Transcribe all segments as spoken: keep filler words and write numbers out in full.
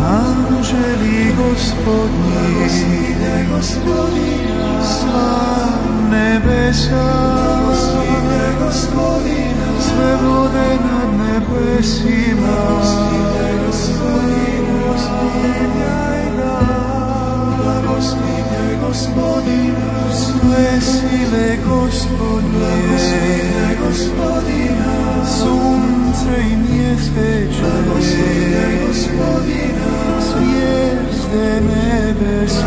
Anđeli Gospodnji, sva nebesa, sve vode nad nebesima, blagoslivljaj Gospodina, sve sile Gospodnje, sunce i mjeseče, zvijezde nebeske,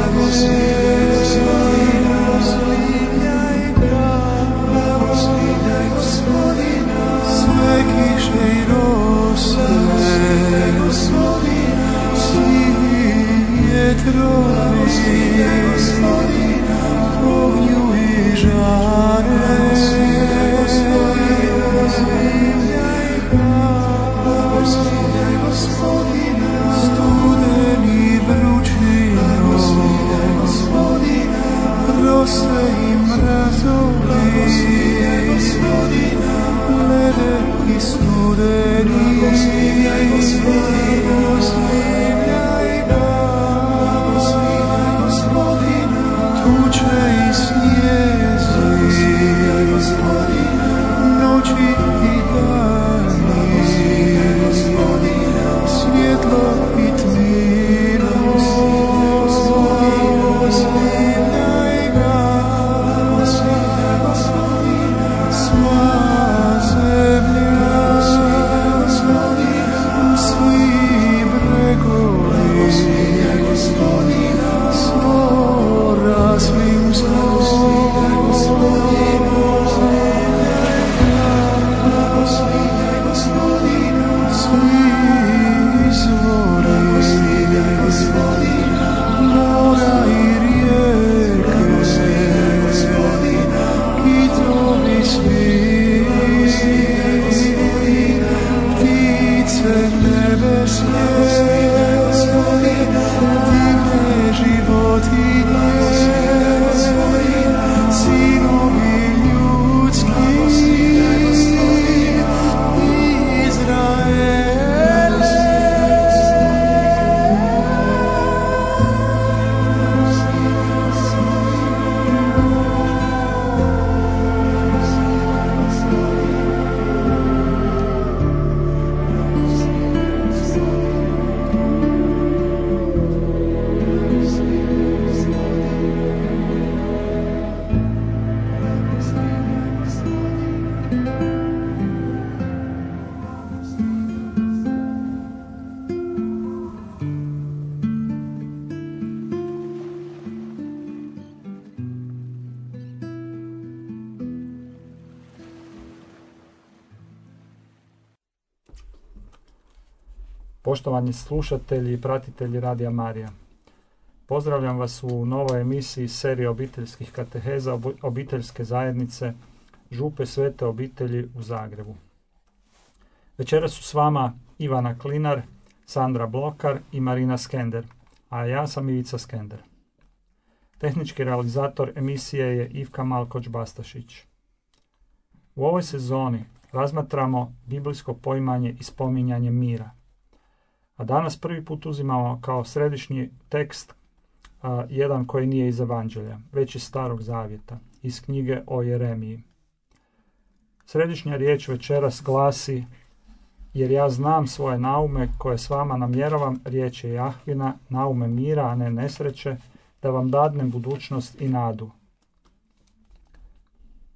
sve kiše i rose, svi vjetrovi, ognju i žare, studeni vrućino, rose i mrazovi, lede i studeni, tuče i snijezi, noći i dani, svjetlo i tmino, slavljaj ga, sva zemlja, svi bregovi, svo raslim mora i rijeke, kitovi svi, ptice nebeske, divne životinje, sinovi ljudski, Izraele. Poštovani slušatelji i pratitelji Radija Marija, pozdravljam vas u novoj emisiji serije obiteljskih kateheza obiteljske zajednice Župe Svete obitelji u Zagrebu. Večeras su s vama Ivana Klinar, Sandra Blokar i Marina Skender, a ja sam Ivica Skender. Tehnički realizator emisije je Ivka Malkoć-Bastašić. U ovoj sezoni razmatramo biblijsko poimanje i spominjanje mira. A danas prvi put uzimamo kao središnji tekst a, jedan koji nije iz Evanđelja, već iz Starog Zavjeta, iz knjige o Jeremiji. Središnja riječ večeras glasi: jer ja znam svoje naume koje s vama namjeravam, riječ je Jahvina, naume mira, a ne nesreće, da vam dadnem budućnost i nadu.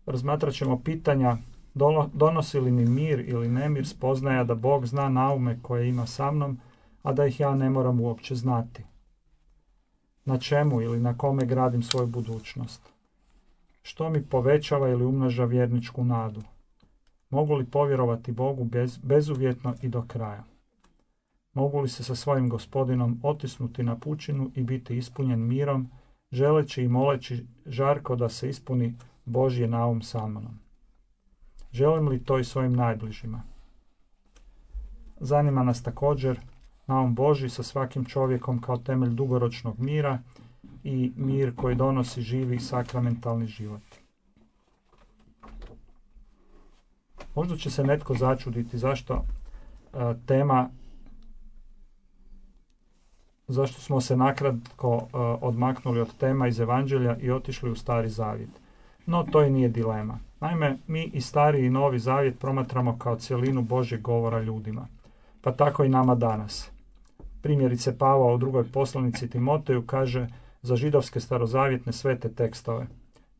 Razmatrat ćemo pitanja: donosi li mi mir ili nemir spoznaja da Bog zna naume koje ima sa mnom, a da ih ja ne moram uopće znati? Na čemu ili na kome gradim svoju budućnost? Što mi povećava ili umnaža vjerničku nadu? Mogu li povjerovati Bogu bez, bezuvjetno i do kraja? Mogu li se sa svojim Gospodinom otisnuti na pučinu i biti ispunjen mirom, želeći i moleći žarko da se ispuni Božji naum sa mnom? Želim li to i svojim najbližima? Zanima nas također naum Božji sa svakim čovjekom kao temelj dugoročnog mira i mir koji donosi živi sakramentalni život. Možda će se netko začuditi zašto a, tema zašto smo se nakratko uh, odmaknuli od tema iz Evanđelja i otišli u Stari Zavjet. No, to i nije dilema. Naime, mi i Stari i Novi Zavjet promatramo kao cjelinu Božjeg govora ljudima. Pa tako i nama danas. Primjerice, Pavao u drugoj poslanici Timoteju kaže za židovske starozavjetne svete tekstove: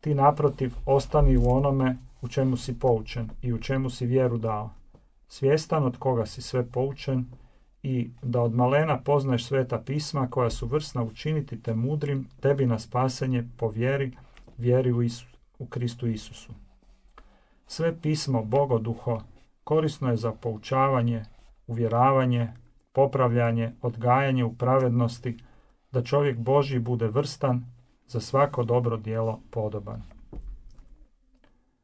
ti naprotiv ostani u onome u čemu si poučen i u čemu si vjeru dao, svjestan od koga si sve poučen, i da od malena poznaješ sveta pisma koja su vrsna učiniti te mudrim tebi na spasenje po vjeri, vjeri u, Isu, u Kristu Isusu. Sve pismo Bogoduho korisno je za poučavanje, uvjeravanje, popravljanje, odgajanje u pravednosti, da čovjek Božji bude vrstan, za svako dobro djelo podoban.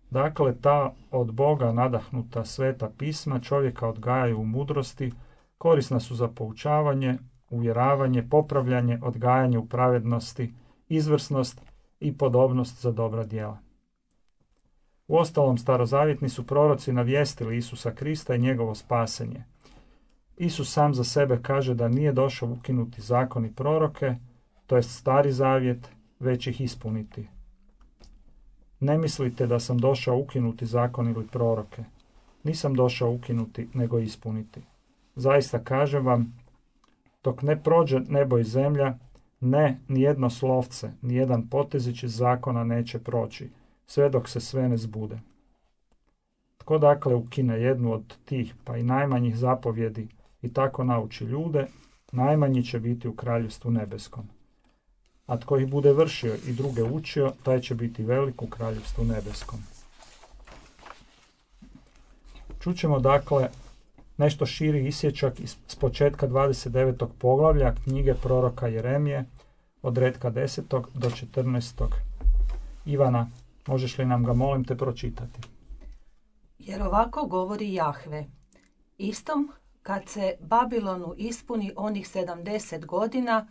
Dakle, ta od Boga nadahnuta sveta pisma čovjeka odgajaju u mudrosti, korisna su za poučavanje, uvjeravanje, popravljanje, odgajanje u pravednosti, izvrsnost i podobnost za dobra djela. Uostalom, starozavjetni su proroci navijestili Isusa Krista i njegovo spasenje. Isus sam za sebe kaže da nije došao ukinuti zakon i proroke, to jest Stari Zavjet, već ih ispuniti. Ne mislite da sam došao ukinuti zakon ili proroke. Nisam došao ukinuti, nego ispuniti. Zaista kažem vam, dok ne prođe nebo i zemlja, ne, nijedno slovce, nijedan potezić iz zakona neće proći, sve dok se sve ne zbude. Tko dakle ukine jednu od tih, pa i najmanjih zapovjedi, i tako nauči ljude, najmanji će biti u kraljevstvu nebeskom. A tko ih bude vršio i druge učio, taj će biti velik u kraljevstvu nebeskom. Čućemo dakle nešto širi isječak iz početka dvadeset devetog poglavlja knjige proroka Jeremije, od redka desetog do četrnaestog. Ivana, možeš li nam ga, molim te, pročitati? Jer ovako govori Jahve: istom kad se Babilonu ispuni onih sedamdeset godina,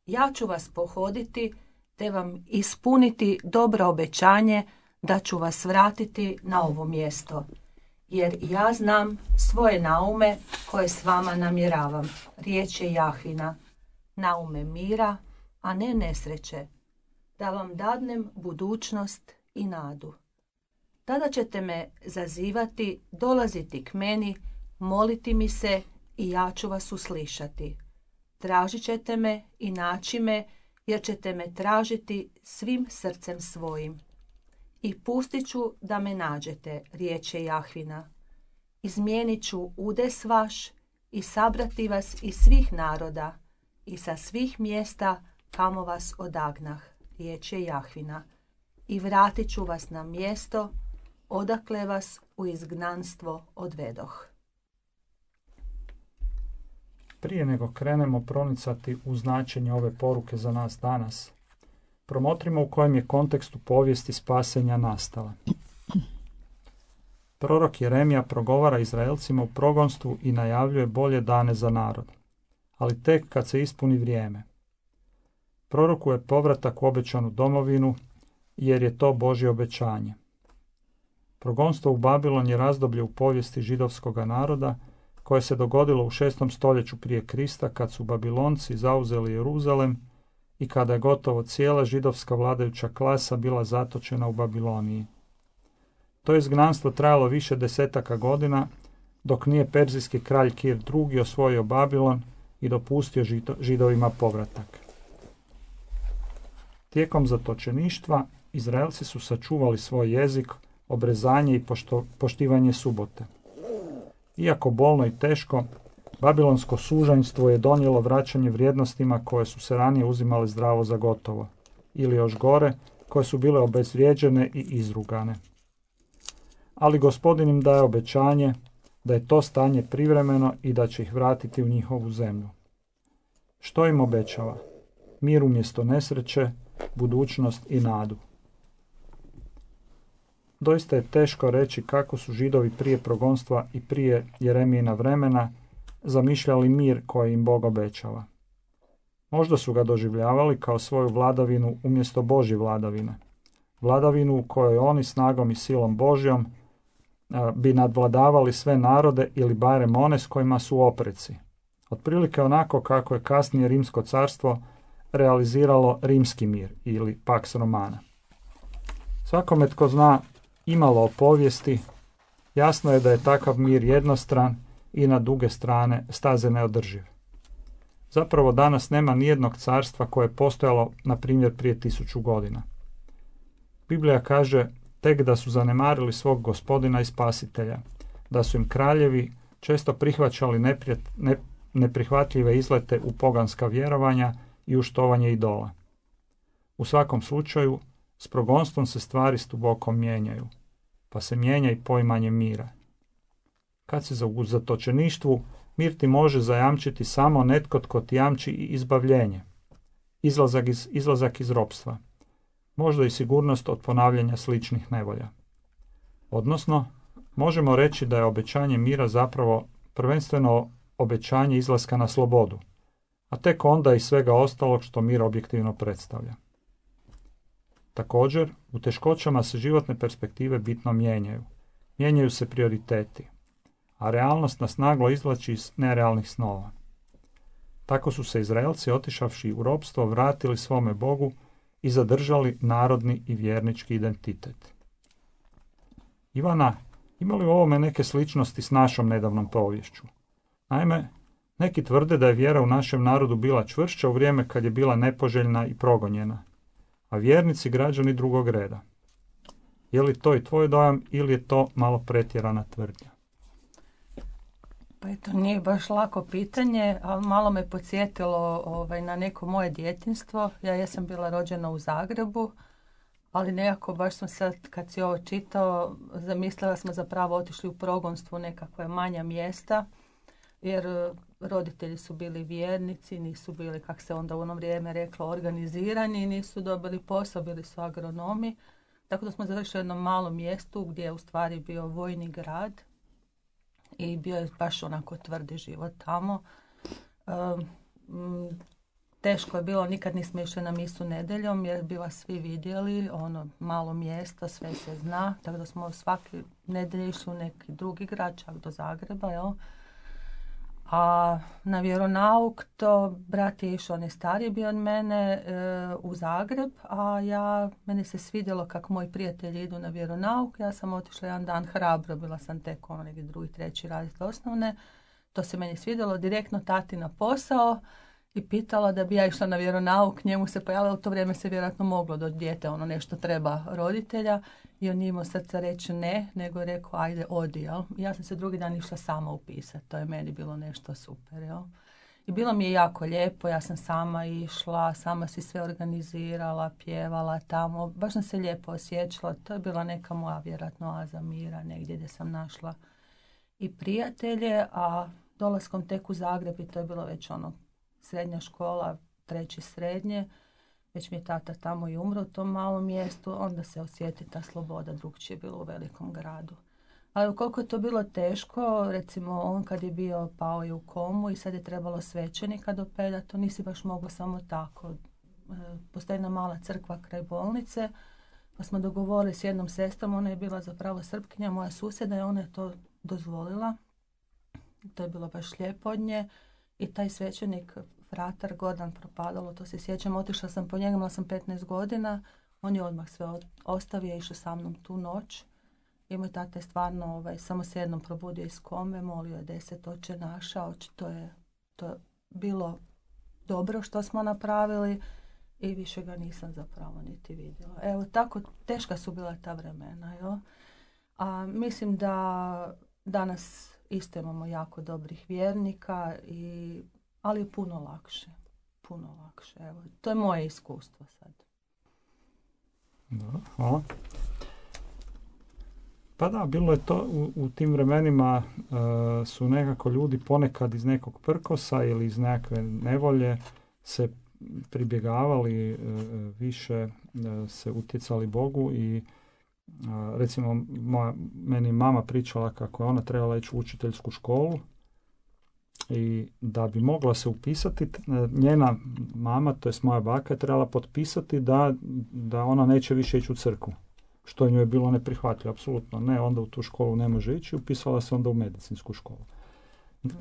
ja ću vas pohoditi, te vam ispuniti dobro obećanje da ću vas vratiti na ovo mjesto. Jer ja znam svoje naume koje s vama namjeravam, riječ je Jahvina, naume mira, a ne nesreće, da vam dadnem budućnost i nadu. Tada ćete me zazivati, dolaziti k meni, moliti mi se i ja ću vas uslišati. Tražit ćete me i naći me, jer ćete me tražiti svim srcem svojim. I pustit ću da me nađete, riječ je Jahvina. Izmijenit ću udes vaš i sabrati vas iz svih naroda i sa svih mjesta kamo vas odagnah, riječ je Jahvina. I vratit ću vas na mjesto odakle vas u izgnanstvo odvedoh. Prije nego krenemo pronicati u značenje ove poruke za nas danas, promotrimo u kojem je kontekstu povijesti spasenja nastala. Prorok Jeremija progovara Izraelcima u progonstvu i najavljuje bolje dane za narod, ali tek kad se ispuni vrijeme. Prorokuje povratak u obećanu domovinu, jer je to Božje obećanje. Progonstvo u Babilon je razdoblje u povijesti židovskoga naroda koje se dogodilo u šestom stoljeću prije Krista, kad su Babilonci zauzeli Jeruzalem i kada je gotovo cijela židovska vladajuća klasa bila zatočena u Babiloniji. To izgnanstvo trajalo više desetaka godina, dok nije perzijski kralj Kir drugi osvojio Babilon i dopustio židovima povratak. Tijekom zatočeništva Izraelci su sačuvali svoj jezik, obrezanje i pošto, poštivanje subote. Iako bolno i teško, babilonsko sužanjstvo je donijelo vraćanje vrijednostima koje su se ranije uzimale zdravo za gotovo, ili još gore, koje su bile obezvrijeđene i izrugane. Ali Gospodin im daje obećanje da je to stanje privremeno i da će ih vratiti u njihovu zemlju. Što im obećava? Mir umjesto nesreće, budućnost i nadu. Doista je teško reći kako su Židovi prije progonstva i prije Jeremijina vremena zamišljali mir koji im Bog obećava. Možda su ga doživljavali kao svoju vladavinu umjesto Božje vladavine. Vladavinu u kojoj oni snagom i silom Božjom a, bi nadvladavali sve narode ili barem one s kojima su opreci. Otprilike onako kako je kasnije Rimsko carstvo realiziralo rimski mir ili Pax Romana. Svakome tko zna imalo o povijesti, jasno je da je takav mir jednostran i na duge strane staze neodrživ. Zapravo danas nema nijednog carstva koje je postojalo, na primjer, prije tisuću godina. Biblija kaže tek da su zanemarili svog gospodina i spasitelja, da su im kraljevi često prihvaćali neprijat, ne, neprihvatljive izlete u poganska vjerovanja i uštovanje idola. U svakom slučaju, s progonstvom se stvari stuboko mijenjaju, pa se mijenja i poimanje mira. Kad si u zatočeništvu, mir ti može zajamčiti samo netko tko ti jamči i izbavljenje, izlazak iz, izlazak iz ropstva, možda i sigurnost od ponavljanja sličnih nevolja. Odnosno, možemo reći da je obećanje mira zapravo prvenstveno obećanje izlaska na slobodu, a tek onda i svega ostalog što mir objektivno predstavlja. Također, u teškoćama se životne perspektive bitno mijenjaju. Mijenjaju se prioriteti, a realnost nas naglo izvlači iz nerealnih snova. Tako su se Izraelci, otišavši u ropstvo, vratili svome Bogu i zadržali narodni i vjernički identitet. Ivana, ima li u ovome neke sličnosti s našom nedavnom poviješću? Naime, neki tvrde da je vjera u našem narodu bila čvršća u vrijeme kad je bila nepoželjna i progonjena, a vjernici građani drugog reda. Je li to i tvoj dojam ili je to malo pretjerana tvrdnja? Pa eto, nije baš lako pitanje, ali malo me podsjetilo ovaj, na neko moje djetinjstvo. Ja jesam bila rođena u Zagrebu, ali nekako baš sam sad, kad si ovo čitao, zamislila smo zapravo otišli u progonstvo u nekakve manja mjesta, jer roditelji su bili vjernici, nisu bili, kak se onda u ono vrijeme reklo, organizirani, nisu dobili posao, bili su agronomi. Tako da smo završili u jednom malom mjestu gdje je u stvari bio vojni grad i bio je baš onako tvrdi život tamo. Um, teško je bilo, nikad nismo išli na misu nedjeljom jer bila svi vidjeli, ono malo mjesto, sve se zna, tako da smo svaki nedjelje išli u neki drugi grad, čak do Zagreba, jel? A na vjeronauk to brat je išao, on je stariji bio od mene, e, u Zagreb, a ja, meni se svidjelo kako moji prijatelji idu na vjeronauk, ja sam otišla jedan dan hrabro, bila sam tek ono neki drugi, treći raditi osnovne, to se meni svidjelo, direktno tati na posao i pitala da bi ja išla na vjeronauk, njemu se pojavilo, u to vrijeme se vjerojatno moglo do dijete, ono nešto treba roditelja, i on nije imao srca reći ne, nego je rekao ajde odi, jel? Ja sam se drugi dan išla sama upisati, to je meni bilo nešto super, jel? I bilo mi je jako lijepo, ja sam sama išla, sama si sve organizirala, pjevala tamo, baš sam se lijepo osjećala, to je bila neka moja vjerojatno oaza mira, negdje gdje sam našla i prijatelje, a dolaskom tek u Zagreb i to je bilo već ono srednja škola, treći srednje, već mi je tata tamo i umro u tom malom mjestu, onda se osjeti ta sloboda, drugčije je bilo u velikom gradu. Ali koliko je to bilo teško, recimo on kad je bio pao je u komu i sad je trebalo svećenika dopeljati, to nisi baš moglo samo tako. Postoji jedna mala crkva kraj bolnice, pa smo dogovorili s jednom sestrom, ona je bila zapravo Srpkinja, moja susjeda, i ona je to dozvolila. To je bilo baš lijepo od nje. I taj svećenik, fratar Gordan Propadalo, to se sjećam, otišla sam po njega, imala sam petnaest godina, on je odmah sve ostavio, išao sa mnom tu noć. I moj tata je stvarno ovaj, samo se jednom probudio iz kome, molio je deset oče naša, očito je to je bilo dobro što smo napravili i više ga nisam zapravo niti vidjela. Evo, tako teška su bila ta vremena, jo? A mislim da danas isto imamo jako dobrih vjernika, i, ali je puno lakše. Puno lakše. Evo, to je moje iskustvo sad. Da, hvala. Pa da, bilo je to u, u tim vremenima uh, su nekako ljudi ponekad iz nekog prkosa ili iz nekakve nevolje se pribjegavali, uh, više uh, se utjecali Bogu i uh, recimo moja, meni mama pričala kako je ona trebala ići u učiteljsku školu i da bi mogla se upisati, njena mama, to jest moja baka, je trebala potpisati da, da ona neće više ići u crkvu. Što njoj je bilo neprihvatljivo, apsolutno ne, onda u tu školu ne može ići, upisala se onda u medicinsku školu.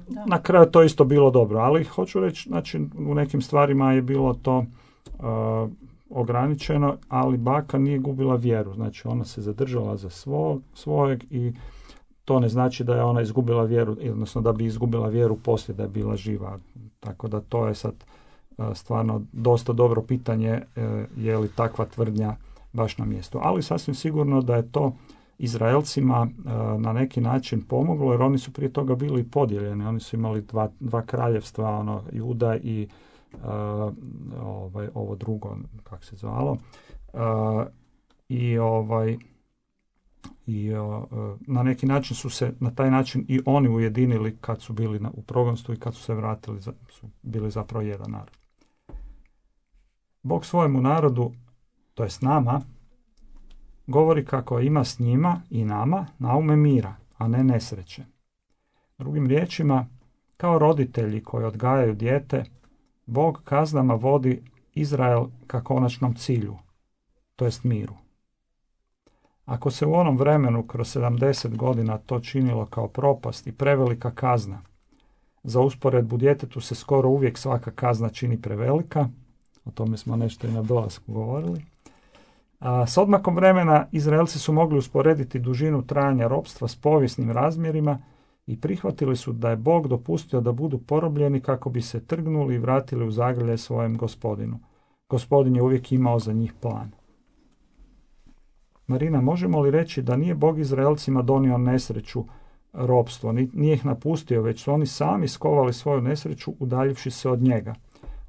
Da. Na kraju to isto bilo dobro, ali hoću reći, znači u nekim stvarima je bilo to uh, ograničeno, ali baka nije gubila vjeru, znači ona se zadržala za svog, svojeg i to ne znači da je ona izgubila vjeru, odnosno da bi izgubila vjeru poslije da je bila živa. Tako da to je sad uh, stvarno dosta dobro pitanje uh, je li takva tvrdnja baš na mjestu. Ali sasvim sigurno da je to Izraelcima uh, na neki način pomoglo, jer oni su prije toga bili podijeljeni. Oni su imali dva, dva kraljevstva, ono, Juda i uh, ovaj, ovo drugo, kako se zvalo. Uh, I ovaj i uh, na neki način su se na taj način i oni ujedinili kad su bili na, u progonstvu i kad su se vratili, za, su bili zapravo jedan narod. Bog svojemu narodu, to jest nama, govori kako ima s njima i nama naume mira, a ne nesreće. Drugim riječima, kao roditelji koji odgajaju dijete, Bog kaznama vodi Izrael ka konačnom cilju, to jest miru. Ako se u onom vremenu kroz sedamdeset godina to činilo kao propast i prevelika kazna, za usporedbu djetetu se skoro uvijek svaka kazna čini prevelika, o tome smo nešto i na dolasku govorili. A s odmakom vremena Izraelci su mogli usporediti dužinu trajanja ropstva s povijesnim razmjerima i prihvatili su da je Bog dopustio da budu porobljeni kako bi se trgnuli i vratili u zagrlje svojem gospodinu. Gospodin je uvijek imao za njih plan. Marina, možemo li reći da nije Bog Izraelcima donio nesreću, ropstvo, nije ih napustio, već su oni sami skovali svoju nesreću udaljivši se od njega,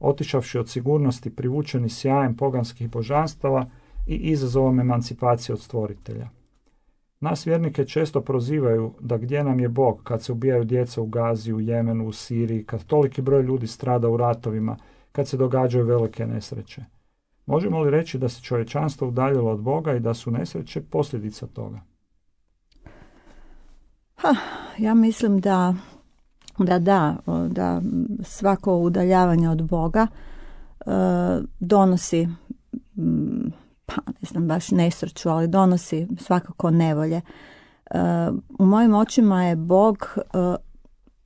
otišavši od sigurnosti, privučeni sjajem poganskih božanstava i izazovom emancipacije od stvoritelja. Nas vjernike često prozivaju da gdje nam je Bog kad se ubijaju djeca u Gazi, u Jemenu, u Siriji, kad toliki broj ljudi strada u ratovima, kad se događaju velike nesreće. Možemo li reći da se čovječanstvo udaljilo od Boga i da su nesreće posljedica toga? Ha, ja mislim da da, da, da svako udaljavanje od Boga e, donosi, pa ne znam baš nesreću, ali donosi svakako nevolje. E, u mojim očima je Bog e,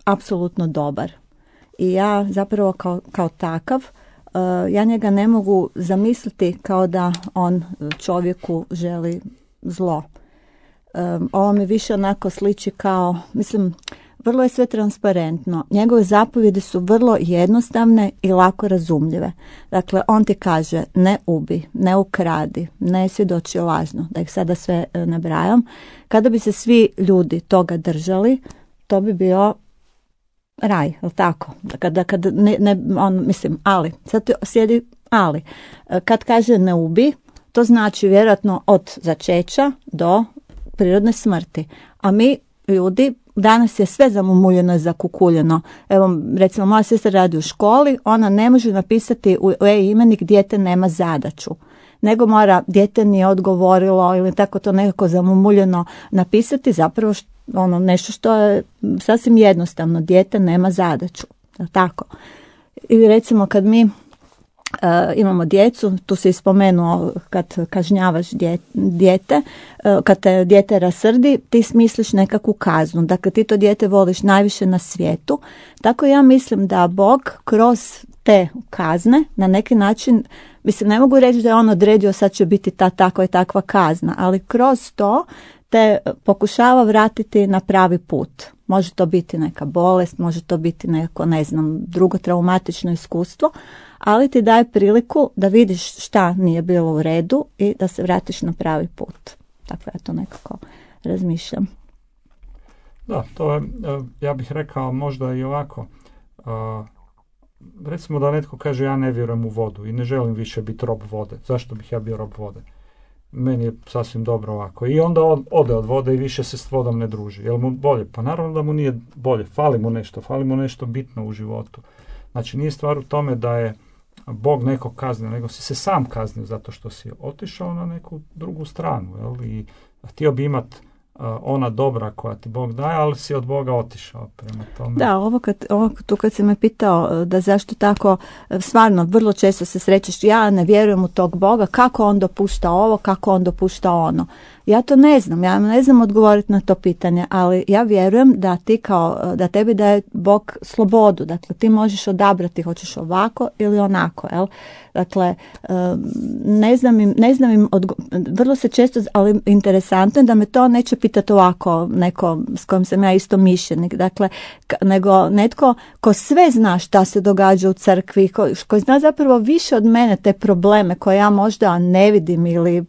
apsolutno dobar. I ja zapravo kao, kao takav, Uh, ja njega ne mogu zamisliti kao da on čovjeku želi zlo. Um, ovo mi više onako sliči kao, mislim, vrlo je sve transparentno. Njegove zapovjedi su vrlo jednostavne i lako razumljive. Dakle, on ti kaže ne ubi, ne ukradi, ne svjedoči lažno, da ih sada sve uh, nabrajam. Kada bi se svi ljudi toga držali, to bi bio raj, jel tako? Kada, kada ne, ne, on, mislim, ali, sad sjedi ali. Kad kaže ne ubi, to znači vjerojatno od začeća do prirodne smrti. A mi, ljudi, danas je sve zamumuljeno i zakukuljeno. Evo, recimo, moja sestra radi u školi, ona ne može napisati u e-imenik dijete nema zadaću, nego mora dijete nije odgovorilo ili tako to nekako zamumuljeno napisati, zapravo što ono nešto što je sasvim jednostavno, dijete nema zadaću, tako. Ili recimo kad mi uh, imamo djecu, tu se ispomenuo kad kažnjavaš dijete, uh, kad te dijete rasrdi, ti smisliš nekakvu kaznu, dakle ti to dijete voliš najviše na svijetu, tako ja mislim da Bog kroz te kazne na neki način, mislim ne mogu reći da je on odredio sad će biti ta takva i takva kazna, ali kroz to te pokušava vratiti na pravi put. Može to biti neka bolest, može to biti neko, ne znam, drugo traumatično iskustvo, ali ti daje priliku da vidiš šta nije bilo u redu i da se vratiš na pravi put. Tako ja to nekako razmišljam. Da, to je, ja bih rekao možda i ovako. Uh, recimo da netko kaže ja ne vjerujem u vodu i ne želim više biti rob vode. Zašto bih ja bio rob vode? Meni je sasvim dobro ovako. I onda on ode od vode i više se s vodom ne druži. Jel mu bolje? Pa naravno da mu nije bolje. Fali mu nešto. Fali mu nešto bitno u životu. Znači nije stvar u tome da je Bog nekog kaznio, nego si se sam kaznio zato što si otišao na neku drugu stranu. Jel? I htio bi imat ona dobra koja ti Bog daje, ali si od Boga otišao prema tome. Da, ovo kad, ovo tu kad si me pitao da zašto tako, stvarno vrlo često se srećeš, ja ne vjerujem u tog Boga, kako on dopušta ovo, kako on dopušta ono. Ja to ne znam, ja ne znam odgovoriti na to pitanje, ali ja vjerujem da ti kao, da tebi daje Bog slobodu, dakle ti možeš odabrati hoćeš ovako ili onako, jel? Dakle, ne znam im, ne znam im odgo- vrlo se često, ali interesantno je da me to neće pitati ovako neko s kojim sam ja isto mišljenik, dakle, k- nego netko ko sve zna šta se događa u crkvi, ko, ko zna zapravo više od mene te probleme koje ja možda ne vidim ili,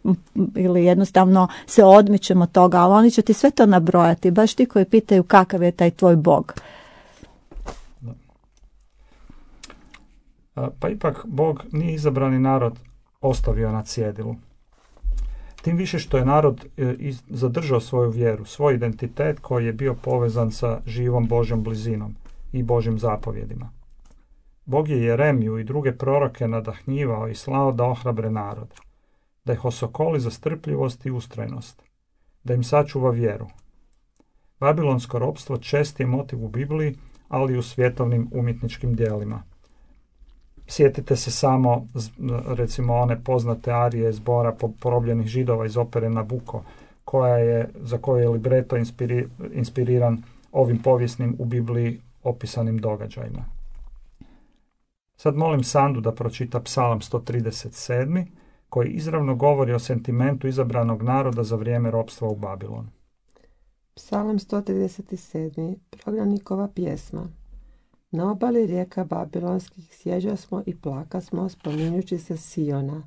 ili jednostavno se odmičem od toga, ali oni će ti sve to nabrojati, baš ti koji pitaju kakav je taj tvoj Bog. Pa ipak Bog nije izabrani narod ostavio na cjedilu. Tim više što je narod zadržao svoju vjeru, svoj identitet koji je bio povezan sa živom Božjom blizinom i Božjim zapovjedima. Bog je Jeremiju i druge proroke nadahnjivao i slao da ohrabre narod, da ih osokoli za strpljivost i ustrajnost, da im sačuva vjeru. Babilonsko ropstvo čest je motiv u Bibliji, ali i u svjetovnim umjetničkim djelima. Sjetite se samo, recimo, one poznate arije zbora porobljenih Židova iz opere Nabuko, koja je, za koju je libreto inspiri, inspiriran ovim povijesnim u Bibliji opisanim događajima. Sad molim Sandu da pročita Psalam sto trideset sedam, koji izravno govori o sentimentu izabranog naroda za vrijeme ropstva u Babilonu. Psalam sto trideset sedam. Prognanikova pjesma. Na obali rijeka Babilonskih sjeđa smo i plaka smo, spominjući se Siona.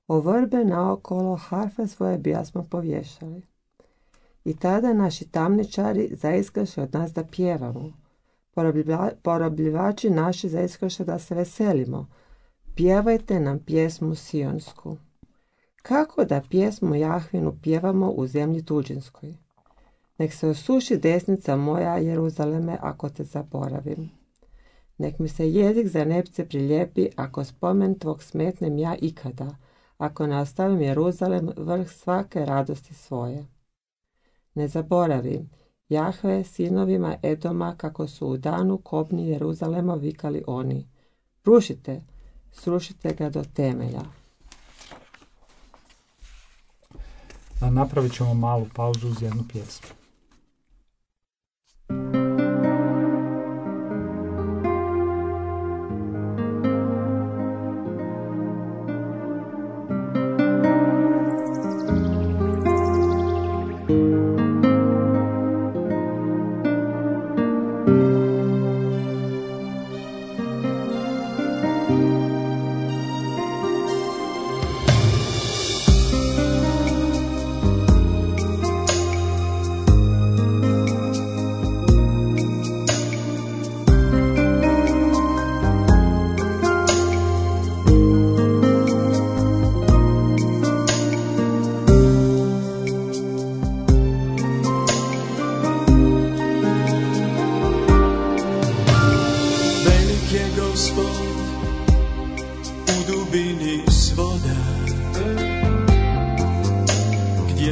O vrbe naokolo harfe svoje bijasmo povješali. I tada naši tamničari zaiskaše od nas da pjevamo. Porobljiva, porobljivači naši zaiskaše da se veselimo. Pjevajte nam pjesmu sionsku. Kako da pjesmu Jahvinu pjevamo u zemlji tuđinskoj? Nek se osuši desnica moja, Jeruzaleme, ako te zaboravim. Nek mi se jezik za nepce prilijepi, ako spomen tvog smetnem ja ikada, ako ne ostavim Jeruzalem vrh svake radosti svoje. Ne zaboravim, Jahve sinovima Edoma, kako su u danu kobni Jeruzalema vikali oni. Rušite, srušite ga do temelja. A napravit ćemo malu pauzu uz jednu pjesmu.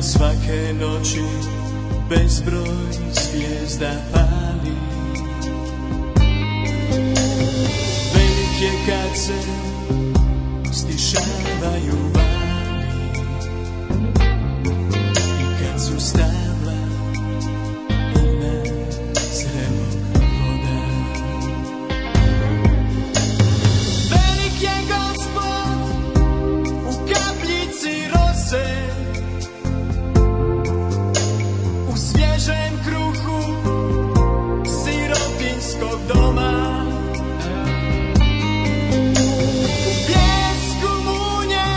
Svake noći bezbroj zvijezda pali. Velik je kad se stišavaju vali i kad su stabla puna zrelog voda. Velik je Gospod u kapljici rose, kruhu sirotinskog doma. U pijesku munje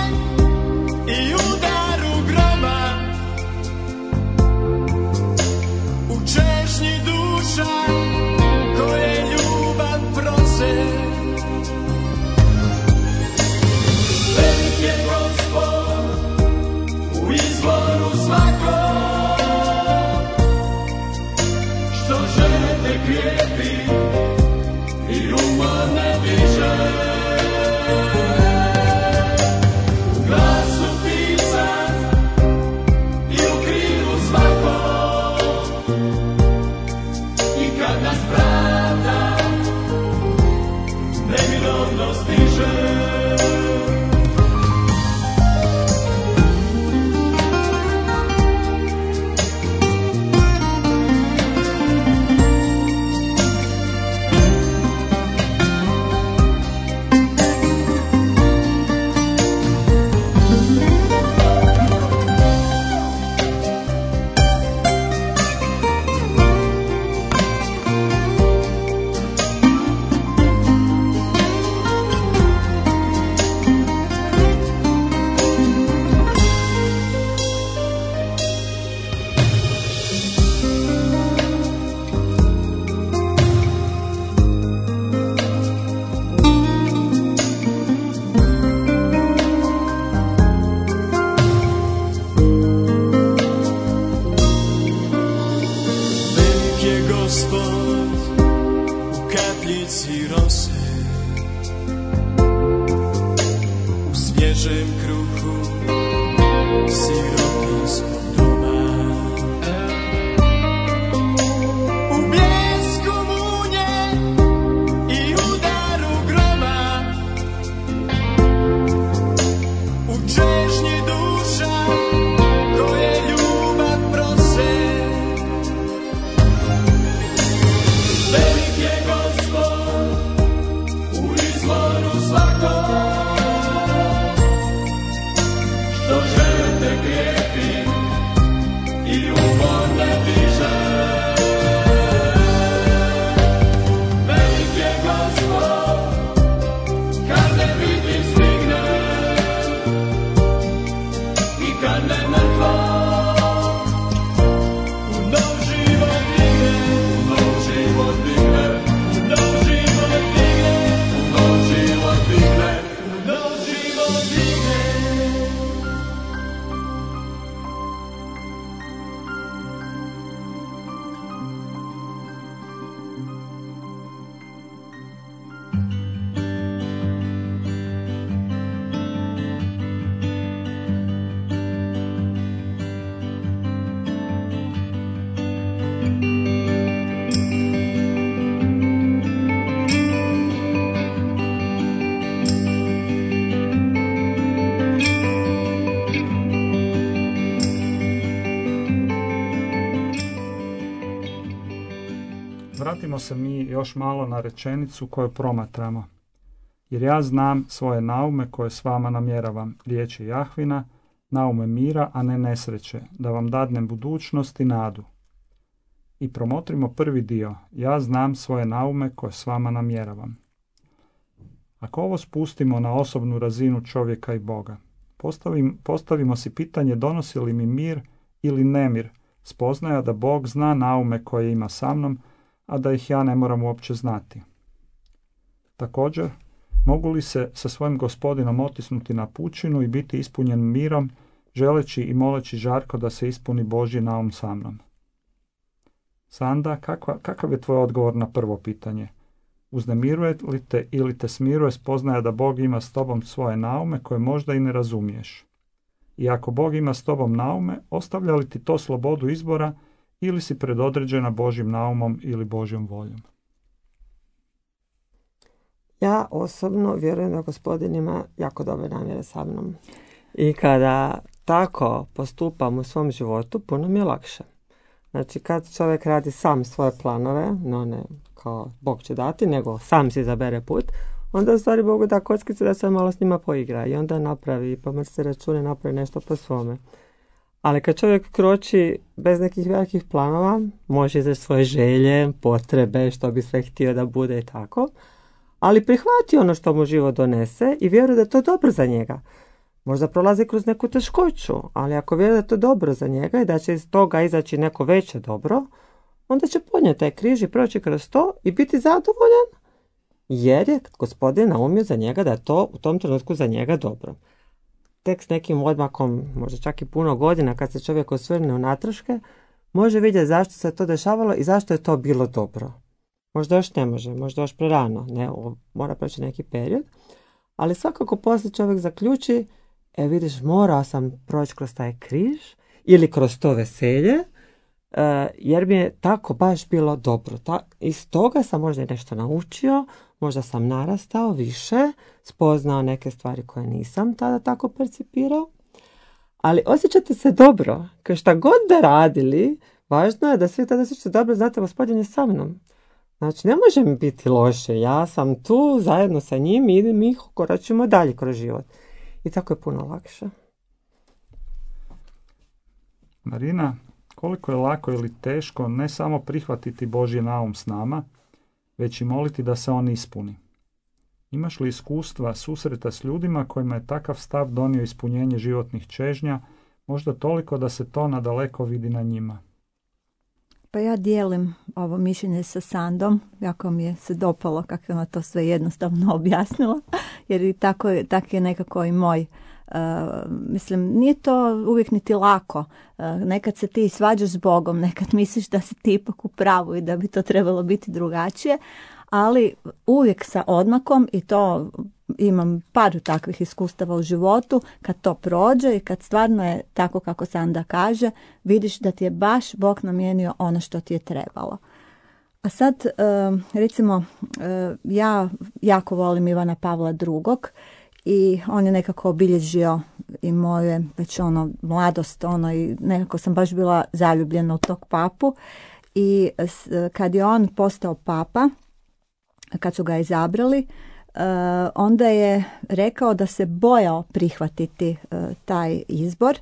minovno stiže. Vratimo se mi još malo na rečenicu koju promatramo. Jer ja znam svoje naume koje s vama namjeravam, riječi Jahvina, naume mira, a ne nesreće, da vam dadnem budućnost i nadu. I promotrimo prvi dio, ja znam svoje naume koje s vama namjeravam. Ako ovo spustimo na osobnu razinu čovjeka i Boga, postavim, postavimo si pitanje donosi li mi mir ili nemir, spoznaja da Bog zna naume koje ima sa mnom, a da ih ja ne moram uopće znati. Također, mogu li se sa svojim gospodinom otisnuti na pučinu i biti ispunjen mirom, želeći i moleći žarko da se ispuni Božji naum sa mnom? Sanda, kakva, kakav je tvoj odgovor na prvo pitanje? Uznemiruje li te ili te smiruje spoznaja da Bog ima s tobom svoje naume koje možda i ne razumiješ? I ako Bog ima s tobom naume, ostavlja li ti to slobodu izbora ili si predodređena Božjim naumom ili Božjom voljom? Ja osobno vjerujem da Gospodin ima jako dobre namjere sa mnom. I kada tako postupam u svom životu, puno mi je lakše. Znači, kad čovjek radi sam svoje planove, no ne kao Bog će dati, nego sam si izabere put, onda u stvari Bogu da kockice da se malo s njima poigra i onda napravi, pomrsi račune, napravi nešto po svome. Ali kad čovjek kroči bez nekih velikih planova, može izreći svoje želje, potrebe, što bi sve htio da bude i tako, ali prihvati ono što mu život donese i vjeruje da je to dobro za njega. Možda prolazi kroz neku teškoću, ali ako vjeruje da je to dobro za njega i da će iz toga izaći neko veće dobro, onda će podnijeti taj križ i proći kroz to i biti zadovoljan, jer je Gospodin naumio za njega da je to u tom trenutku za njega dobro. Tek s nekim odmakom, možda čak i puno godina, kad se čovjek osvrne u natraške, može vidjeti zašto se to dešavalo i zašto je to bilo dobro. Možda još ne može, možda još prerano, ne, mora proći neki period, ali svakako poslije čovjek zaključi, e vidiš, morao sam proći kroz taj križ ili kroz to veselje, jer mi je tako baš bilo dobro. Ta, iz toga sam možda nešto naučio, možda sam narastao više, spoznao neke stvari koje nisam tada tako percipirao, ali osjećate se dobro, kao šta god da radili, važno je da svi tada osjećate dobro, znate, Gospodin je sa mnom. Znači, ne može mi biti loše, ja sam tu zajedno sa njim i mi koračimo dalje kroz život. I tako je puno lakše. Marina, koliko je lako ili teško ne samo prihvatiti Božji naum s nama, već i moliti da se on ispuni. Imaš li iskustva susreta s ljudima kojima je takav stav donio ispunjenje životnih čežnja, možda toliko da se to nadaleko vidi na njima? Pa ja dijelim ovo mišljenje sa Sandom, jako mi je se dopalo kako je ona to sve jednostavno objasnila, jer i tako, tako je nekako i moj. Uh, mislim, nije to uvijek niti lako. Uh, nekad se ti svađaš s Bogom, nekad misliš da si ti ipak u pravu i da bi to trebalo biti drugačije, ali uvijek sa odmakom, i to imam par takvih iskustava u životu, kad to prođe i kad stvarno je tako kako Sanda kaže, vidiš da ti je baš Bog namijenio ono što ti je trebalo. A sad, recimo, ja jako volim Ivana Pavla drugog i on je nekako obilježio i moje već ono mladost, ono, i nekako sam baš bila zaljubljena u tog papu. I kad je on postao papa, kad su ga izabrali, Uh, onda je rekao da se bojao prihvatiti uh, taj izbor,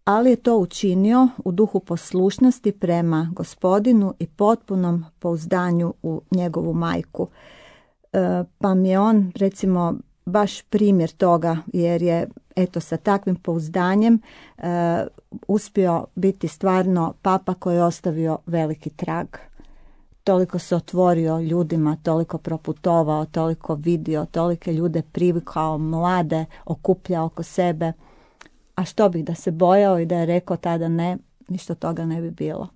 ali je to učinio u duhu poslušnosti prema Gospodinu i potpunom pouzdanju u njegovu majku. Uh, pa mi je on, recimo, baš primjer toga, jer je eto sa takvim pouzdanjem uh, uspio biti stvarno papa koji je ostavio veliki trag. Toliko se otvorio ljudima, toliko proputovao, toliko vidio, tolike ljude privikao, mlade, okupljao oko sebe. A što bih da se bojao i da je rekao tada ne, ništa toga ne bi bilo.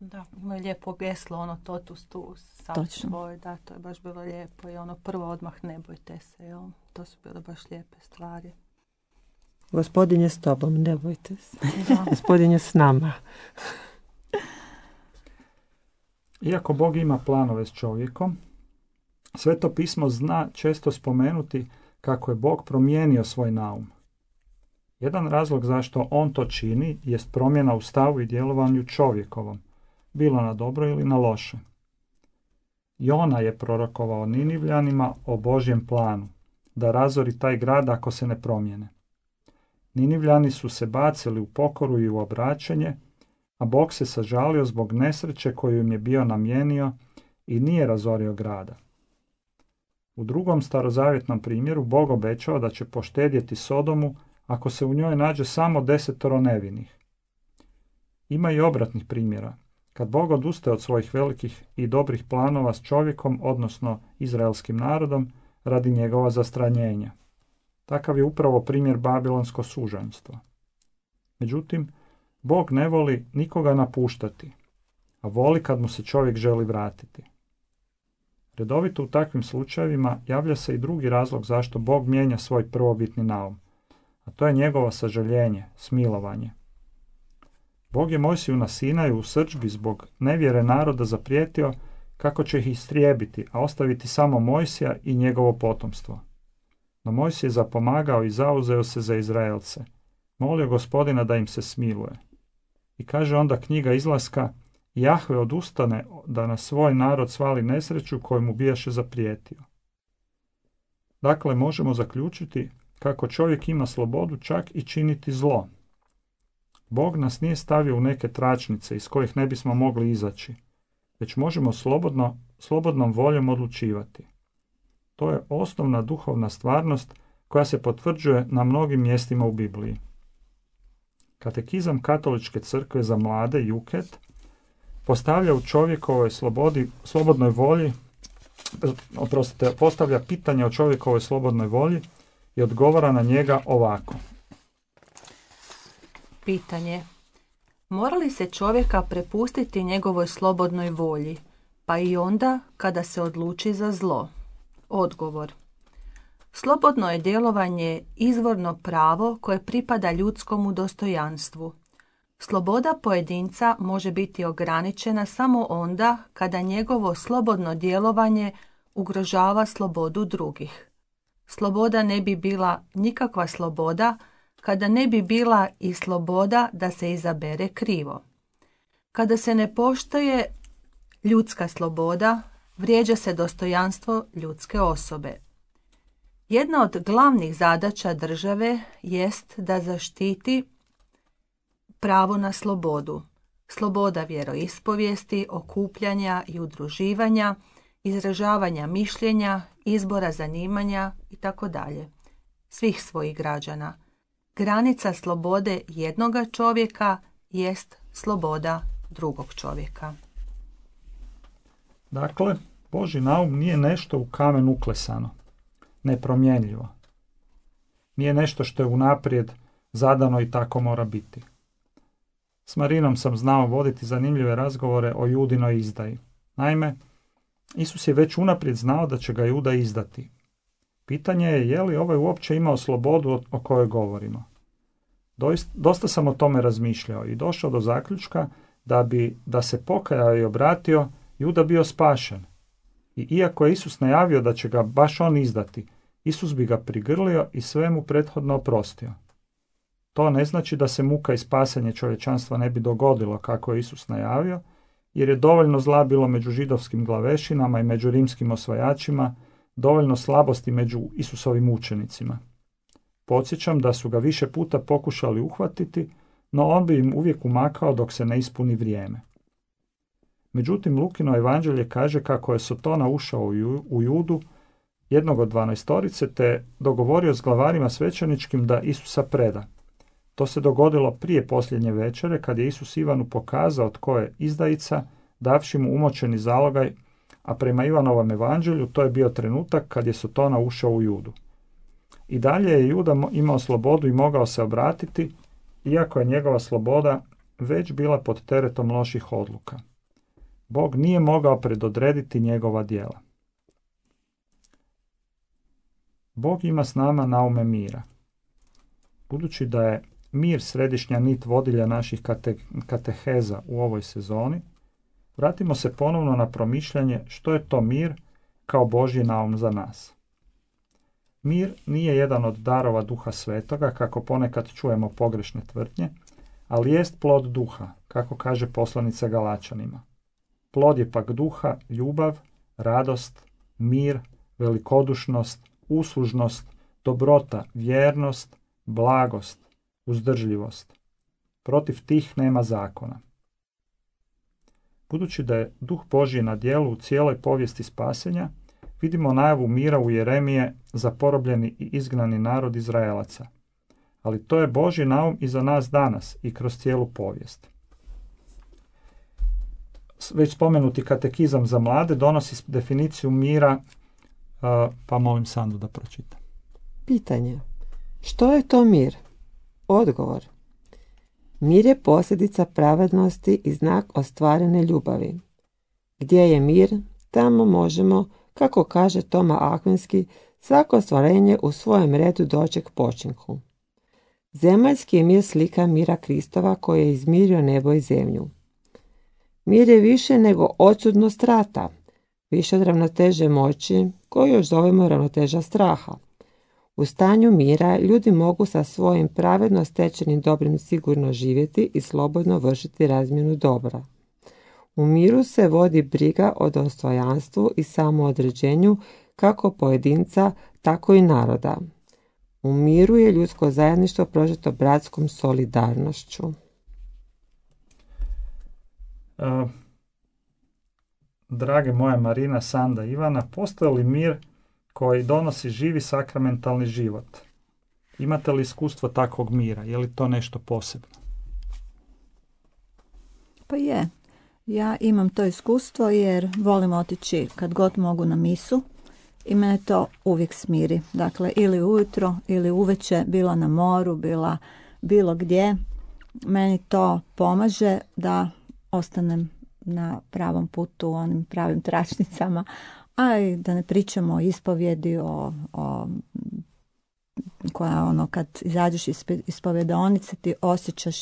Da, ima je lijepo geslo, ono totus tu, sad svoj, da, to je baš bilo lijepo i ono prvo odmah ne bojte se, jel? To su bile baš lijepe stvari. Gospodin je s tobom, ne bojte se. Da. Gospodin je s nama. Iako Bog ima planove s čovjekom, Sveto pismo zna često spomenuti kako je Bog promijenio svoj naum. Jedan razlog zašto on to čini jest promjena u stavu i djelovanju čovjekovom, bilo na dobro ili na loše. Jona je prorokovao Ninivljanima o Božjem planu, da razori taj grad ako se ne promijene. Ninivljani su se bacili u pokoru i u obraćanje, a Bog se sažalio zbog nesreće koju im je bio namijenio i nije razorio grada. U drugom starozavjetnom primjeru Bog obećao da će poštedjeti Sodomu ako se u njoj nađe samo desetoro nevinih. Ima i obratnih primjera, kad Bog odustaje od svojih velikih i dobrih planova s čovjekom, odnosno izraelskim narodom, radi njegova zastranjenja. Takav je upravo primjer babilonsko sužanjstvo. Međutim, Bog ne voli nikoga napuštati, a voli kad mu se čovjek želi vratiti. Redovito u takvim slučajevima javlja se i drugi razlog zašto Bog mijenja svoj prvobitni naum, a to je njegovo sažaljenje, smilovanje. Bog je Mojsiju na Sinaju u srdžbi zbog nevjere naroda zaprijetio kako će ih istrijebiti, a ostaviti samo Mojsija i njegovo potomstvo. No Mojsij je zapomagao i zauzeo se za Izraelce, molio Gospodina da im se smiluje. I kaže onda knjiga Izlaska, Jahve odustane da na svoj narod svali nesreću koju mu bijaše zaprijetio. Dakle, možemo zaključiti kako čovjek ima slobodu čak i činiti zlo. Bog nas nije stavio u neke tračnice iz kojih ne bismo mogli izaći, već možemo slobodno, slobodnom voljom odlučivati. To je osnovna duhovna stvarnost koja se potvrđuje na mnogim mjestima u Bibliji. Katekizam Katoličke crkve za mlade, Juket, postavlja u čovjekovoj slobodi, slobodnoj volji, oprostite, postavlja pitanje o čovjekovoj slobodnoj volji i odgovara na njega ovako. Pitanje. Mora li se čovjeka prepustiti njegovoj slobodnoj volji, pa i onda kada se odluči za zlo? Odgovor. Slobodno je djelovanje izvorno pravo koje pripada ljudskom dostojanstvu. Sloboda pojedinca može biti ograničena samo onda kada njegovo slobodno djelovanje ugrožava slobodu drugih. Sloboda ne bi bila nikakva sloboda kada ne bi bila i sloboda da se izabere krivo. Kada se ne poštuje ljudska sloboda, vrijeđa se dostojanstvo ljudske osobe. Jedna od glavnih zadaća države jest da zaštiti pravo na slobodu. Sloboda vjeroispovijesti, okupljanja i udruživanja, izražavanja mišljenja, izbora zanimanja itd. Svih svojih građana. Granica slobode jednoga čovjeka jest sloboda drugog čovjeka. Dakle, Božji naum nije nešto u kamen uklesano, nepromjenljivo. Nije nešto što je unaprijed zadano i tako mora biti. S Marinom sam znao voditi zanimljive razgovore o Judinoj izdaji. Naime, Isus je već unaprijed znao da će ga Juda izdati. Pitanje je je li ovaj uopće imao slobodu o kojoj govorimo. Doista, dosta sam o tome razmišljao i došao do zaključka da bi, da se pokajao i obratio, Juda bio spašen. I iako je Isus najavio da će ga baš on izdati, Isus bi ga prigrlio i sve mu prethodno oprostio. To ne znači da se muka i spasanje čovječanstva ne bi dogodilo kako je Isus najavio, jer je dovoljno zla bilo među židovskim glavešinama i među rimskim osvajačima, dovoljno slabosti među Isusovim učenicima. Podsjećam da su ga više puta pokušali uhvatiti, no on bi im uvijek umakao dok se ne ispuni vrijeme. Međutim, Lukino evanđelje kaže kako je Sotona ušao u Judu, jednog od dvanaestorice, te dogovorio s glavarima svećeničkim da Isusa preda. To se dogodilo prije posljednje večere, kad je Isus Ivanu pokazao tko je izdajica, davši mu umočeni zalogaj, a prema Ivanovom evanđelju to je bio trenutak kad je Sotona ušao u Judu. I dalje je Juda imao slobodu i mogao se obratiti, iako je njegova sloboda već bila pod teretom loših odluka. Bog nije mogao predodrediti njegova djela. Bog ima s nama naume mira. Budući da je mir središnja nit vodilja naših kate, kateheza u ovoj sezoni, vratimo se ponovno na promišljanje što je to mir kao Božji naum za nas. Mir nije jedan od darova Duha Svetoga, kako ponekad čujemo pogrešne tvrdnje, ali jest plod duha, kako kaže poslanica Galačanima. Plod je pak duha ljubav, radost, mir, velikodušnost, uslužnost, dobrota, vjernost, blagost, uzdržljivost. Protiv tih nema zakona. Budući da je Duh Božji na djelu u cijeloj povijesti spasenja, vidimo najavu mira u Jeremije za porobljeni i izgnani narod Izraelaca. Ali to je Božji naum i za nas danas i kroz cijelu povijest. Već spomenuti katekizam za mlade donosi definiciju mira, pa molim Sandu da pročita. Pitanje. Što je to mir? Odgovor. Mir je posljedica pravednosti i znak ostvarene ljubavi. Gdje je mir, tamo možemo, kako kaže Toma Akvinski, svako stvorenje u svojem redu doći k počinku. Zemaljski je mir slika mira Kristova koji je izmirio nebo i zemlju. Mir je više nego odsutnost rata, više od ravnoteže moći, koju još zovemo ravnoteža straha. U stanju mira ljudi mogu sa svojim pravedno stečenim dobrim sigurno živjeti i slobodno vršiti razmjenu dobra. U miru se vodi briga o dostojanstvu i samoodređenju kako pojedinca, tako i naroda. U miru je ljudsko zajedništvo prožeto bratskom solidarnošću. Uh, drage moje Marina, Sanda, Ivana, postoji li mir koji donosi živi sakramentalni život? Imate li iskustvo takvog mira? Je li to nešto posebno? Pa je. Ja imam to iskustvo jer volim otići kad god mogu na misu i mene to uvijek smiri. Dakle, ili ujutro ili uveče, bila na moru, bila bilo gdje. Meni to pomaže da ostanem na pravom putu, onim pravim tračnicama, a i da ne pričamo o ispovjedi, o, o koja ono kad izađeš iz ispovjedaonice ti osjećaš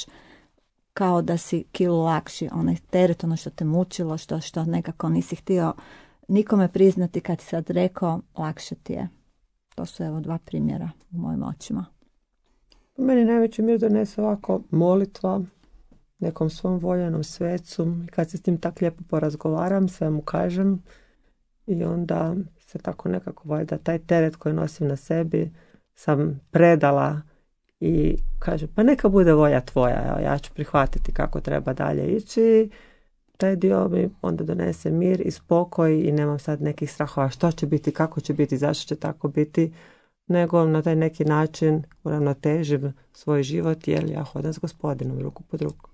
kao da si kilu lakši, onaj teret, ono što te mučilo, što, što nekako nisi htio nikome priznati kad si sad rekao, lakše ti je. To su evo dva primjera u mojim očima. Meni najveći mir donese ovako molitva nekom svom voljenom svecu. I kad se s tim tako lijepo porazgovaram, sve mu kažem i onda se tako nekako valjda taj teret koji nosim na sebi sam predala i kažem pa neka bude volja tvoja, evo, ja ću prihvatiti kako treba dalje ići. Taj dio mi onda donese mir i spokoj i nemam sad nekih strahova što će biti, kako će biti, zašto će tako biti, nego na taj neki način uravnotežim svoj život jer ja hodam s Gospodinom ruku pod ruku.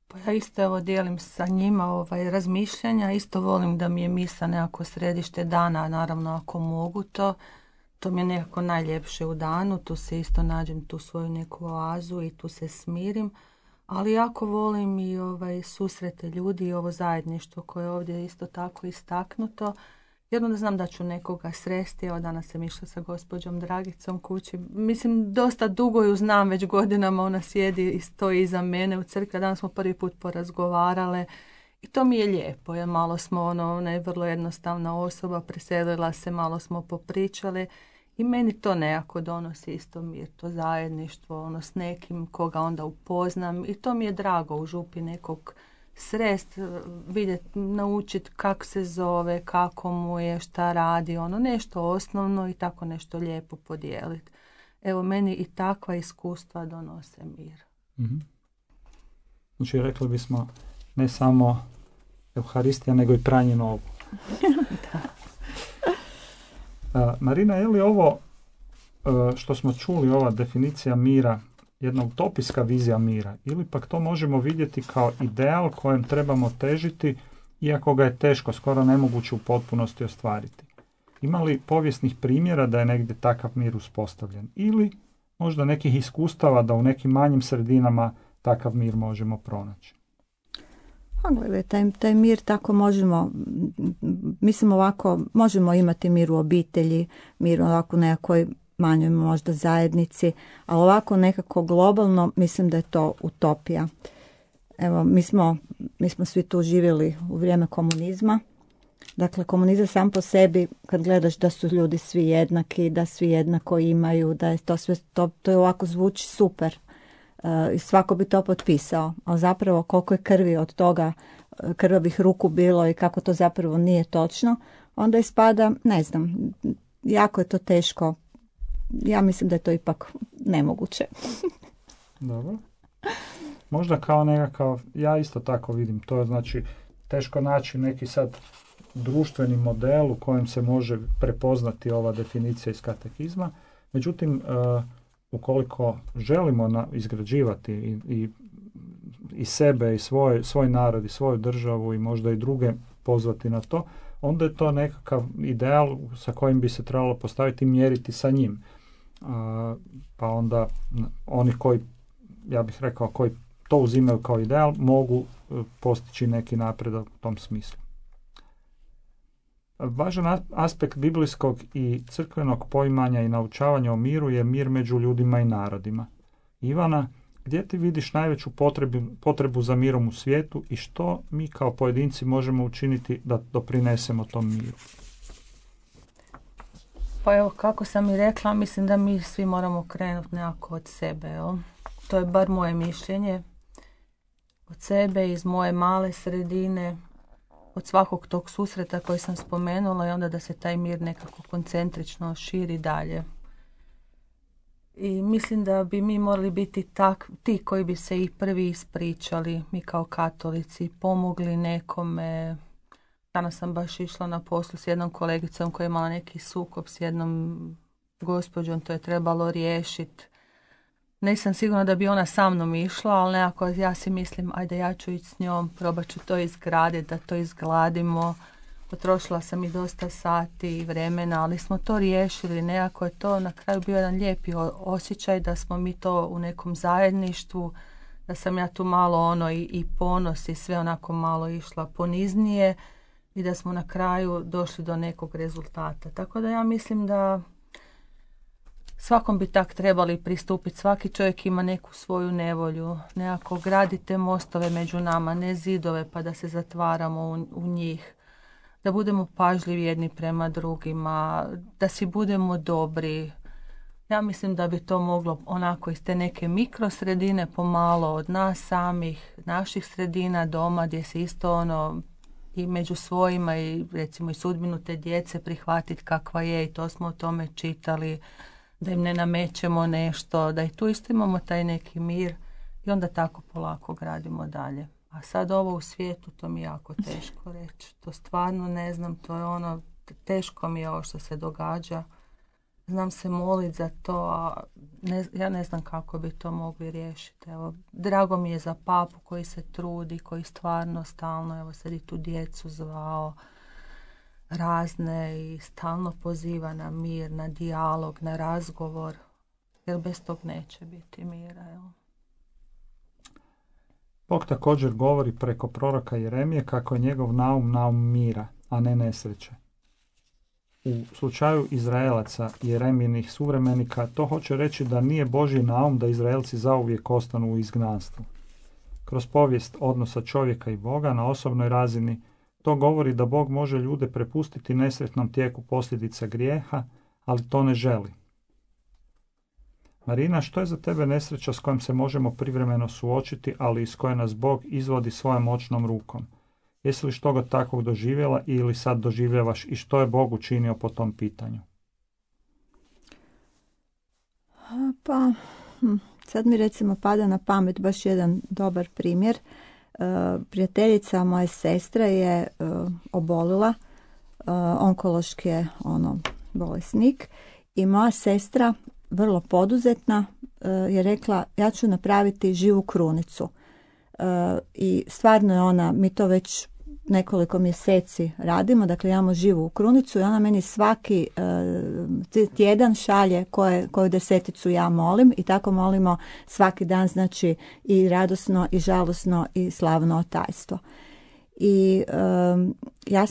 Pa ja isto evo dijelim sa njima ovaj, razmišljanja, isto volim da mi je misa nekako središte dana, naravno ako mogu to, to mi je nekako najljepše u danu, tu se isto nađem tu svoju neku oazu i tu se smirim, ali jako volim i ovaj, susrete ljudi i ovo zajedništvo koje je ovdje isto tako istaknuto. Jer onda znam da ću nekoga sresti, evo danas sam išla sa gospođom Dragicom kući. Mislim, dosta dugo ju znam, već godinama ona sjedi i stoji iza mene u crkvi. Danas smo prvi put porazgovarale i to mi je lijepo, jer malo smo, ono, ona je vrlo jednostavna osoba, preselila se, malo smo popričale i meni to nekako donosi isto mir, to zajedništvo, ono, s nekim koga onda upoznam i to mi je drago u župi nekog srest, vidjeti, naučiti kako se zove, kako mu je, šta radi, ono nešto osnovno i tako nešto lijepo podijeliti. Evo, meni i takva iskustva donose mir. Mm-hmm. Znači, rekli bismo ne samo Euharistija, nego i pranje nogu. Da. Uh, Marina, je li ovo uh, što smo čuli, ova definicija mira, jedna utopijska vizija mira, ili pak to možemo vidjeti kao ideal kojem trebamo težiti, iako ga je teško, skoro nemoguće u potpunosti ostvariti? Ima li povijesnih primjera da je negdje takav mir uspostavljen? Ili možda nekih iskustava da u nekim manjim sredinama takav mir možemo pronaći? Pa gledaj, taj, taj mir tako možemo, mislim ovako, možemo imati mir u obitelji, mir ovako u nekakvoj manjoj možda zajednici, a ovako nekako globalno mislim da je to utopija. Evo, mi smo, mi smo svi tu živjeli u vrijeme komunizma. Dakle, komunizam sam po sebi, kad gledaš da su ljudi svi jednaki, da svi jednako imaju, da je to sve, to, to je ovako zvuči super. I uh, svako bi to potpisao, a zapravo koliko je krvi od toga, krvavih ruku bilo i kako to zapravo nije točno, onda ispada, ne znam, jako je to teško. Ja mislim da je to ipak nemoguće. Dobro. Možda kao nekakav, ja isto tako vidim, to je znači teško naći neki sad društveni model u kojem se može prepoznati ova definicija iz katekizma. Međutim, uh, ukoliko želimo na, izgrađivati i, i, i sebe i svoj, svoj narod i svoju državu i možda i druge pozvati na to, onda je to nekakav ideal sa kojim bi se trebalo postaviti i mjeriti sa njim. Uh, pa onda oni koji, ja bih rekao, koji to uzimaju kao ideal, mogu uh, postići neki napredak u tom smislu. Važan aspekt biblijskog i crkvenog poimanja i naučavanja o miru je mir među ljudima i narodima. Ivana, gdje ti vidiš najveću potrebu, potrebu za mirom u svijetu i što mi kao pojedinci možemo učiniti da doprinesemo tom miru? Pa evo, kako sam i rekla, mislim da mi svi moramo krenuti nekako od sebe. Jel? To je bar moje mišljenje. Od sebe, iz moje male sredine, od svakog tog susreta koji sam spomenula i onda da se taj mir nekako koncentrično širi dalje. I mislim da bi mi morali biti tak, ti koji bi se i prvi ispričali, mi kao katolici, pomogli nekome. Danas sam baš išla na poslu s jednom kolegicom koja je imala neki sukob s jednom gospođom, to je trebalo riješiti. Nisam sigurna da bi ona sa mnom išla, ali nekako ja si mislim, ajde ja ću ići s njom, probat ću to izgraditi, da to izgladimo. Potrošila sam i dosta sati i vremena, ali smo to riješili. Nekako je to na kraju bio jedan lijepi osjećaj da smo mi to u nekom zajedništvu, da sam ja tu malo ono i, i ponos i sve onako malo išla poniznije i da smo na kraju došli do nekog rezultata. Tako da ja mislim da svakom bi tak trebali pristupiti. Svaki čovjek ima neku svoju nevolju. Nekako gradite mostove među nama, ne zidove pa da se zatvaramo u, u njih. Da budemo pažljivi jedni prema drugima, da si budemo dobri. Ja mislim da bi to moglo onako iz te neke mikrosredine pomalo od nas samih, naših sredina doma gdje se isto ono i među svojima i recimo i sudbinu te djece prihvatiti kakva je i to smo o tome čitali, da im ne namećemo nešto, da i tu isto imamo taj neki mir i onda tako polako gradimo dalje. A sad ovo u svijetu, to mi je jako teško reći. To stvarno ne znam, to je ono, teško mi je ovo što se događa. Znam se moliti za to, a ne, ja ne znam kako bi to mogli riješiti. Evo, drago mi je za papu koji se trudi, koji stvarno stalno, evo sad i tu djecu zvao razne i stalno poziva na mir, na dijalog, na razgovor, jer bez tog neće biti mira. Evo. Bog također govori preko proroka Jeremije kako je njegov naum naum mira, a ne nesreće. U slučaju Izraelaca i Jeremijinih suvremenika to hoće reći da nije Božji naum da Izraelci zauvijek ostanu u izgnanstvu. Kroz povijest odnosa čovjeka i Boga na osobnoj razini to govori da Bog može ljude prepustiti nesretnom tijeku posljedica grijeha, ali to ne želi. Marina, što je za tebe nesreća s kojom se možemo privremeno suočiti, ali iz koje nas Bog izvodi svojom moćnom rukom? Jesi li što ga takvog doživjela ili sad doživljavaš i što je Bog učinio po tom pitanju? Pa, sad mi recimo pada na pamet baš jedan dobar primjer. Prijateljica moje sestre je obolila, onkološki je ono bolesnik i moja sestra, vrlo poduzetna, je rekla ja ću napraviti živu krunicu. I stvarno je ona, mi to već nekoliko mjeseci radimo, dakle imamo živu krunicu i ona meni svaki tjedan šalje koje, koju deseticu ja molim i tako molimo svaki dan, znači i radosno i žalosno i slavno tajstvo. I um, ja,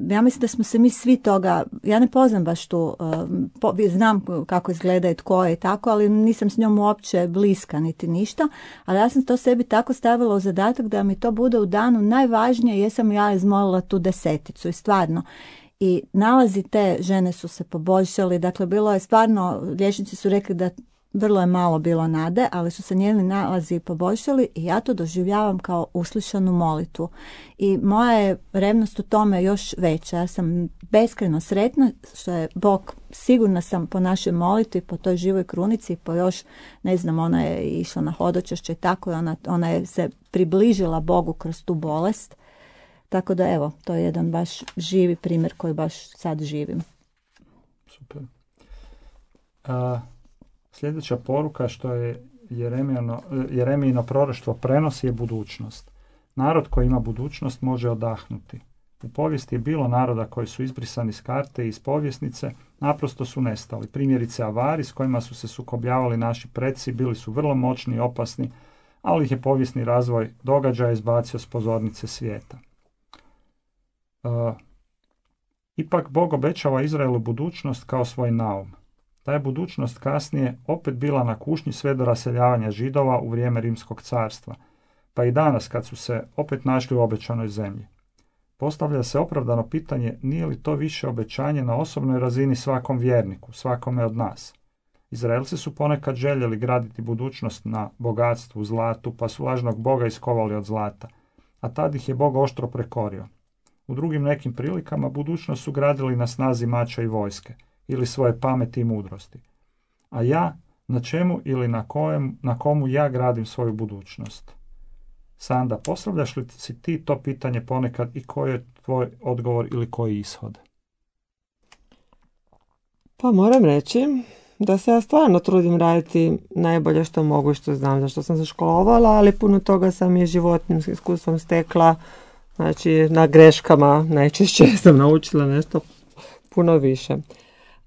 ja mislim da smo se mi svi toga, ja ne poznam baš tu, um, po, znam kako izgleda i tko je i tako, ali nisam s njom uopće bliska niti ništa, ali ja sam to sebi tako stavila u zadatak da mi to bude u danu najvažnije, jesam ja izmolila tu deseticu i stvarno. I nalazi te žene su se poboljšali, dakle bilo je stvarno, liječnici su rekli da vrlo je malo bilo nade, ali su se njeni nalazi poboljšali i ja to doživljavam kao uslišanu molitvu. I moja je revnost u tome još veća. Ja sam beskrajno sretna što je Bog, sigurna sam po našoj molitvi, po toj živoj krunici, po još, ne znam, ona je išla na hodočašće i tako, i ona, ona je se približila Bogu kroz tu bolest. Tako da evo, to je jedan baš živi primjer koji baš sad živim. Super. A... Sljedeća poruka što je Jeremijino proroštvo prenosi je budućnost. Narod koji ima budućnost može odahnuti. U povijesti je bilo naroda koji su izbrisani s karte i iz povjesnice, naprosto su nestali. Primjerice Avari s kojima su se sukobljavali naši preci bili su vrlo moćni i opasni, ali ih je povijesni razvoj događaja izbacio s pozornice svijeta. Uh, ipak Bog obećava Izraelu budućnost kao svoj naum. Ta je budućnost kasnije opet bila na kušnji sve do raseljavanja Židova u vrijeme Rimskog carstva, pa i danas kad su se opet našli u obećanoj zemlji. Postavlja se opravdano pitanje nije li to više obećanje na osobnoj razini svakom vjerniku, svakome od nas. Izraelci su ponekad željeli graditi budućnost na bogatstvu, zlatu, pa su lažnog Boga iskovali od zlata, a tad ih je Bog oštro prekorio. U drugim nekim prilikama budućnost su gradili na snazi mača i vojske, ili svoje pameti i mudrosti. A ja, na čemu ili na, kojem, na komu ja gradim svoju budućnost? Sanda, postavljaš li si ti to pitanje ponekad i koji je tvoj odgovor ili koji ishod? Pa moram reći da se ja stvarno trudim raditi najbolje što mogu i što znam, zašto sam se školovala, ali puno toga sam i životnim iskustvom stekla, znači na greškama najčešće sam naučila nešto puno više.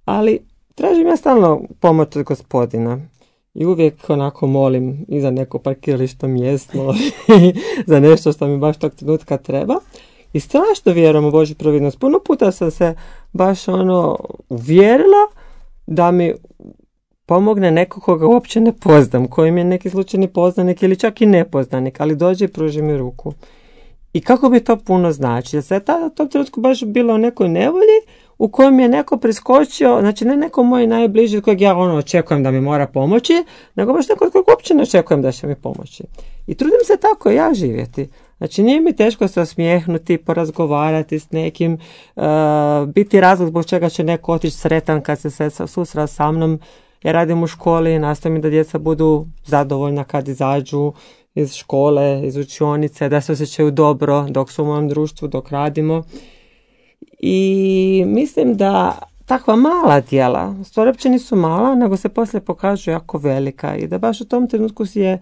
Ali tražim ja stalno pomoć od Gospodina i uvijek onako molim i za neko parkiralište mjesto i za nešto što mi baš tog trenutka treba. I strašno vjerujem u Božju providnost. Puno puta sam se baš ono uvjerila da mi pomogne neko koga uopće ne poznam, kojim je neki slučajni poznanik ili čak i nepoznanik, ali dođe i pruži mi ruku. I kako bi to puno znači? Ja sam tada u tom trenutku baš bila u nekoj nevolji u kojem je neko priskočio, znači ne neko moj najbliži kojeg ja ono očekujem da mi mora pomoći, nego baš neko kojeg uopće ne očekujem da će mi pomoći. I trudim se tako ja živjeti. Znači nije mi teško se osmijehnuti, porazgovarati s nekim, uh, biti razlog zbog čega će neko otići sretan kad se, se susra sa mnom. Ja radim u školi i nastavim da djeca budu zadovoljna kad izađu iz škole, iz učionice, da se osjećaju dobro dok su u mom društvu, dok radimo. I mislim da takva mala djela, stvari uopće nisu mala, nego se poslije pokažu jako velika i da baš u tom trenutku si je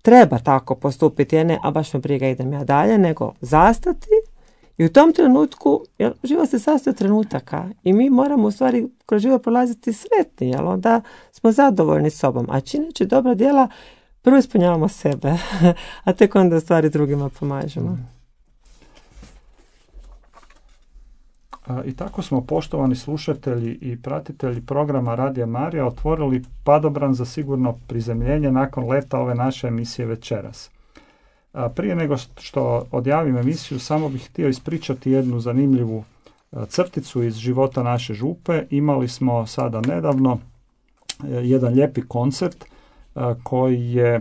treba tako postupiti, ne, a baš me briga idem ja dalje, nego zastati i u tom trenutku, jer život se sastoji od trenutaka i mi moramo u stvari kroz život prolaziti sretni, jel onda smo zadovoljni sobom, a čineći dobra djela prvo ispunjavamo sebe, a tek onda u stvari drugima pomažemo. I tako smo, poštovani slušatelji i pratitelji programa Radija Marija, otvorili padobran za sigurno prizemljenje nakon leta ove naše emisije večeras. Prije nego što odjavim emisiju, samo bih htio ispričati jednu zanimljivu crticu iz života naše župe. Imali smo sada nedavno jedan lijepi koncert koji je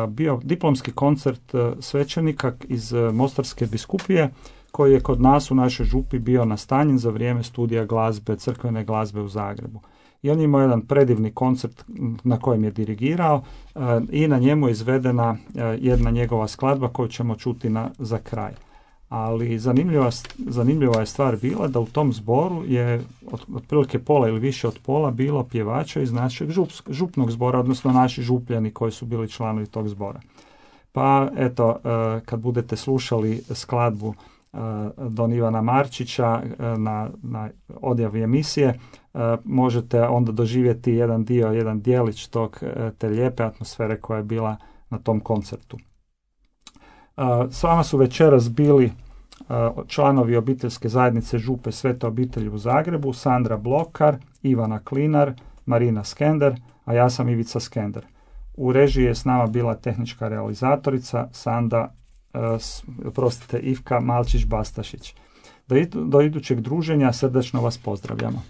bio diplomski koncert svećenika iz Mostarske biskupije, koji je kod nas u našoj župi bio nastanjen za vrijeme studija glazbe, crkvene glazbe u Zagrebu. I on je imao jedan predivni koncert na kojem je dirigirao uh, i na njemu je izvedena uh, jedna njegova skladba koju ćemo čuti na, za kraj. Ali zanimljiva, zanimljiva je stvar bila da u tom zboru je od, otprilike pola ili više od pola bilo pjevača iz našeg žup, župnog zbora, odnosno naši župljani koji su bili članovi tog zbora. Pa eto, uh, kad budete slušali skladbu Don Ivana Marčića na, na odjavi emisije, možete onda doživjeti jedan dio, jedan dijelić tog, te lijepe atmosfere koja je bila na tom koncertu. S vama su večeras bili članovi obiteljske zajednice Župe Svete obitelji u Zagrebu, Sandra Blokar, Ivana Klinar, Marina Skender, a ja sam Ivica Skender. U režiji je s nama bila tehnička realizatorica Sanda Prostite, Ivka Malčić-Bastašić. Do, do idućeg druženja srdačno vas pozdravljamo.